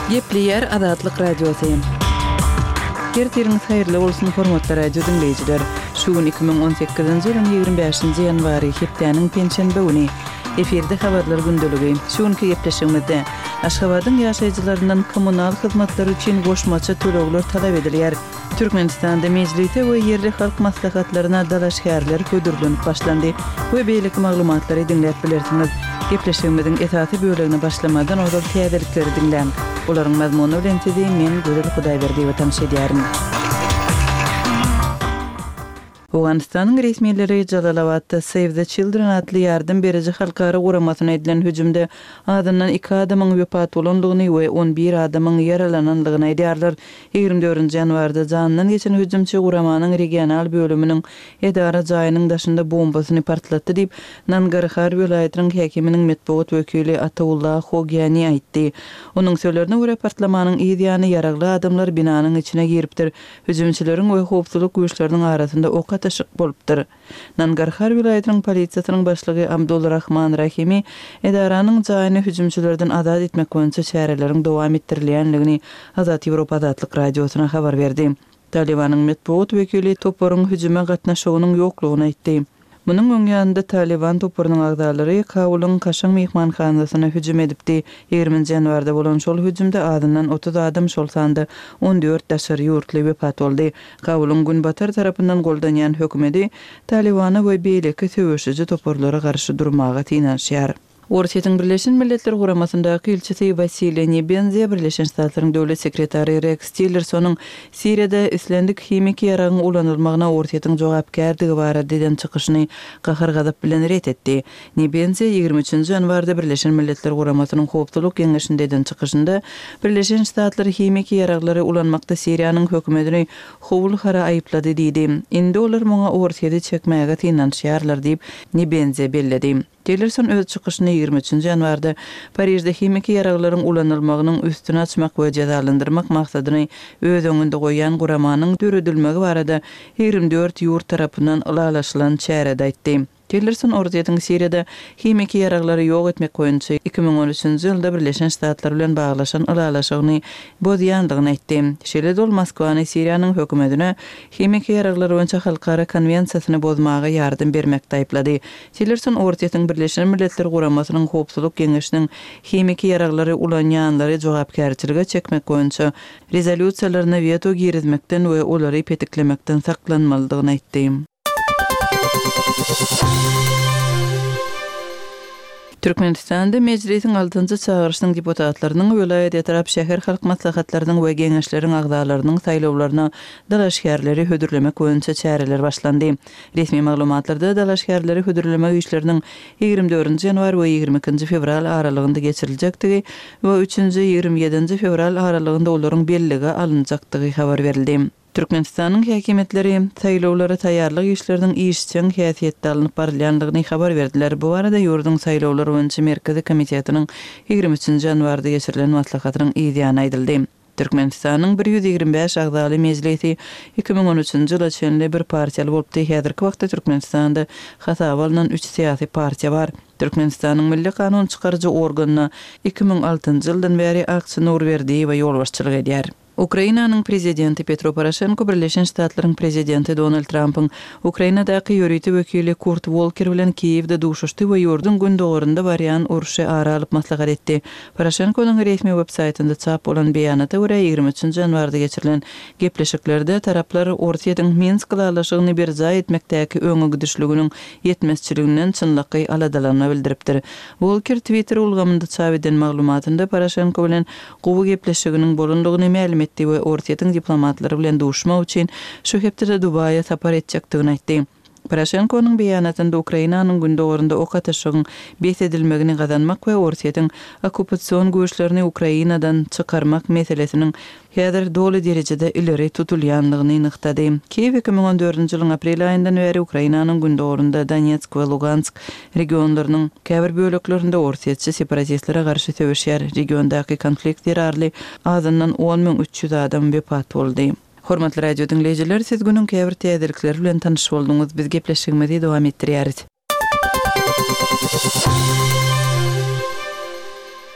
Gepleýär Azatlyk Radiosy. Ertiriňiz haýyrly bolsun, hormatly radio diňleýjiler! Şu gün 2018-nji ýylyň 25-nji ýanwary, hepdäniň penşenbe güni. Efirde Habarlar gündeligi. Şu günki gepleşigimizde Aşgabadyň ýaşaýjylaryndan kommunal hyzmatlary üçin goşmaça tölegler talap edilýär. Türkmenistanda Mejlise we ýerli halk maslahatlaryna dalaşgärler hödürlenip başlandy we beýleki maglumatlary diňläp bilersiňiz. Gepleşigimiziň esasy bölegine başlamazdan ozal täzelikleri diňläň. Olaryň mazmuny bilen sizi men Gözel Hudaýberdiýewa tanyş edýärin. Owganystanyň resmileri Jalalabatda Save the Children atly ýardam beriji halkara guramasyna edilen hüjümde azyndan iki adamyň wepat bolandygyny we on bir adamyň ýaralanandygyny aýdýarlar. 24 nji ýanwarda janyndan geçen hüjümçi guramanyň regional bölüminiň edara jaýynyň daşynda bombasyny partlatdy diýip, Nangarhar welaýatynyň häkiminiň metbugat wekili Ataullah Hogyani aýtdy. Onuň sözlerine görä, partlamanyň yz ýany ýaragly adamlar binanyň içine giripdir. Hüjümçileriň we howpsuzlyk güýçleriniň arasynda ok atyşyk bolupdyr. Nangarhar welaýatynyň polisiýasynyň başlygy Abdul Rahman Rahimi edaranyň jaýyny hüjümçilerden azat etmek boýunça çäreleriň dowam etdirilýändigini Azat Ýewropa Azatlyk Radiosyna habar berdi. Talybanyň metbugat wekili toparyň hüjüme gatnaşygynyň ýoklugyny aýtdy. Munuň öň ýanynda Talyban toparynyň agzalary Kabulyň kaşaň myhmanhanasyna hüjüm edipdi. Ýigriminji ýanwarda bolan şol hüjümde azyndan 30 adam, şol sanda 14 daşary ýurtly wepat boldy. Kabulyň günbatar tarapyndan goldanýan hökümeti Talybana we beýleki söweşiji toparlara garşy durmaga synanyşýar. Orsýetiň Birleşen Milletler Guramasyndaky ilçisi Wasiliý Nebenzýa Birleşen Ştatlaryň Döwlet sekretary Reks Tillersonyň Siriýada islendik himiki ýaragyň ulanylmagyna Orsýetiň jogapkärdigi barada eden çykyşyny gahar-gazap bilen ret etdi. Nebenzýa 23 nji ýanwarda Birleşen Milletler Guramasynyň Howpsuzlyk Geňeşinde eden çykyşynda Birleşen Ştatlar himiki ýaraglary ulanmakda Siriýanyň hökümetini howul-hara aýyplady diýdi. Indi olar muňa Orsýeti çekmäge synanyşýarlar diýip, Nebenzýa belledi. Tillerson öz çykyşyny 23 nji ýanwarda Parižde himiki ýaraglaryň ulanylmagynyň üstüni açmak we jezalandyrmak maksadyny öz öňünde goýýan guramanyň döredilmegi barada 24 ýurt tarapyndan ylalaşylan çärede aýtdy. Tillerson Orsýetiň Siriýada himiki ýaraglary ýok etmek boýunça 2013 nji ýylda Birleşen Ştatlar bilen baglaşan ylalaşygyny bozýandygyny aýtdy. Şeýle-de ol Moskwany Siriýanyň hökümetine himiki ýaraglar boýunça halkara konwensiýasyny bozmaga ýardam bermekde aýyplady. Tillerson Orsýetiň Birleşen Milletler Guramasynyň Howpsuzlyk Geňeşiniň himiki ýaraglary ulanýanlary jogapkärçilige çekmek boýunça rezolýusiýalaryna weto girizmekden we olary petiklemekden saklanmalydygyny aýtdy. Türkmenistanda Mejlisiň altynjy çagyryşynyň deputatlarynyň, welaýat, etrap, şäher halk maslahatlarynyň we geňeşleriň agzalarynyň saýlawlaryna dalaşgärleri hödürlemek boýunça çäreler başlandy. Resmi maglumatlarda dalaşgärleri hödürlemek işleriniň 24 nji ýanwar we 22 nji fewral aralygynda geçiriljekdigi we üçünji, 27 nji fewral aralygynda olaryň bellige alynjakdygy habar berildi. Türkmenistanyň häkimiýetleri saýlawlara taýýarlyk işleriniň işjeň häsiýetde alnyp barylýandygyny habar berdiler. Bu barada ýurduň Saýlawlar boýunça merkezi komitetiniň 23 nji ýanwarda geçirilen maslahatynyň yzýany aýdyldy. Türkmenistanyň 125 agzaly Mejlisi 2013-nji ýyla çenli bir partiýaly bolupdy. Häzirki wagtda Türkmenistanda hasaba alnan üç syýasy partiýa bar. Türkmenistanyň Milli kanun çykaryjy organyna 2006-njy ýyldan bäri Akçy Nurberdiýewa ýolbaşçylyk edýär. Ukrainanyň prezidenti Petro Poroşenko Birleşen Ştatlaryň prezidenti Donald Trampyň Ukrainadaky ýörite wekili Kurt Wolker bilen Kiýewde duşuşdy we ýurduň gündogarynda barýan urşy ara alyp maslahat etdi. Poroşenkonyň resmi web-saýtynda çap bolan beýanata görä, 23 nji ýanwarda geçirilen gepleşiklerde taraplar Orsýetiň Minsk ylalaşygyny berjaý etmekdäki öňe gidişliginiň ýetmezçiliginden çynlakaý aladalanma bildiripdir. Wolker Twitter ulgamynda çap eden maglumatynda Poroşenko bilen gowy gepleşiginiň bolandygyny mälim etdi we Orsýetiň diplomatlary bilen duşmak üçin şu hepdede Dubaýa sapar etjekdigini aýtdy. Poroşenkonyň beýanatynda Ukrainanyň gündogarynda ok atyşygyň bes edilmegini gazanmak we Orsýetiň okkupasion güýçlerini Ukrainadan çykarmak meselesiniň häzir doly derejede ileri tutulýandygyny nygtady. Kiýew 2014-nji ýylyň aprel aýyndan bäri Ukrainanyň gündogarynda Donetsk we Lugansk regionlarynyň käbir böleklerinde orsýetçi separatistlere garşy söweşýär. Regiondaky konflikt zerarly azyndan 10 300 adam wepat boldy. Hormatly radio diňleýjiler, siz günüň käbir täzelikleri bilen tanyş bolduňyz. Biz gepleşigimizi dowam etdirýäris.